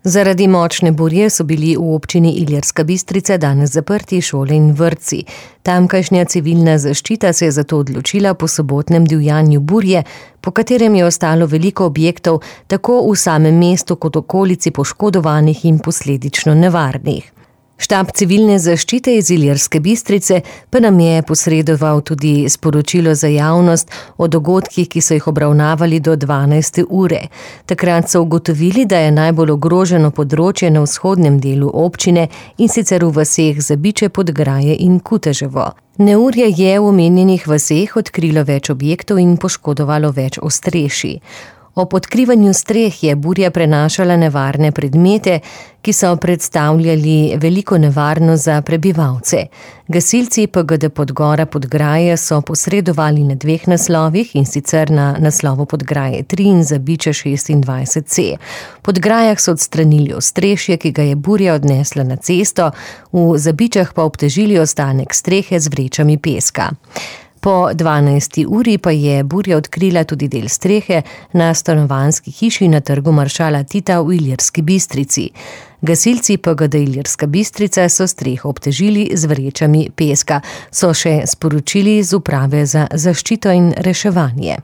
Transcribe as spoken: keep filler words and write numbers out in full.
Zaradi močne burje so bili v občini Ilirska Bistrica danes zaprti šole in vrtci. Tamkajšnja civilna zaščita se je zato odločila po sobotnem divjanju burje, po katerem je ostalo veliko objektov tako v samem mestu kot okolici poškodovanih in posledično nevarnih. Štab civilne zaščite iz Ilirske Bistrice pa nam je posredoval tudi sporočilo za javnost o dogodkih, ki so jih obravnavali do dvanajste ure. Takrat so ugotovili, da je najbolj ogroženo področje na vzhodnem delu občine, in sicer v vaseh Zabiče, Podgraje in Kuteževo. Neurje je v omenjenih vaseh odkrilo več objektov in poškodovalo več ostrešij. Ob odkrivanju streh je burja prenašala nevarne predmete, ki so predstavljali veliko nevarnost za prebivalce. Gasilci P G D Podgora Podgraje so posredovali na dveh naslovih, in sicer na naslovu Podgraje tri in Zabiče šestindvajset C. V Podgrajah so odstranili ostrešje, ki ga je burja odnesla na cesto, v Zabičah pa obtežili ostanek strehe z vrečami peska. Po dvanajsti uri pa je burja odkrila tudi del strehe na stanovanjski hiši na trgu maršala Tita v Ilirski Bistrici. Gasilci P G D Ilirska Bistrica so streho obtežili z vrečami peska, so še sporočili z uprave za zaščito in reševanje.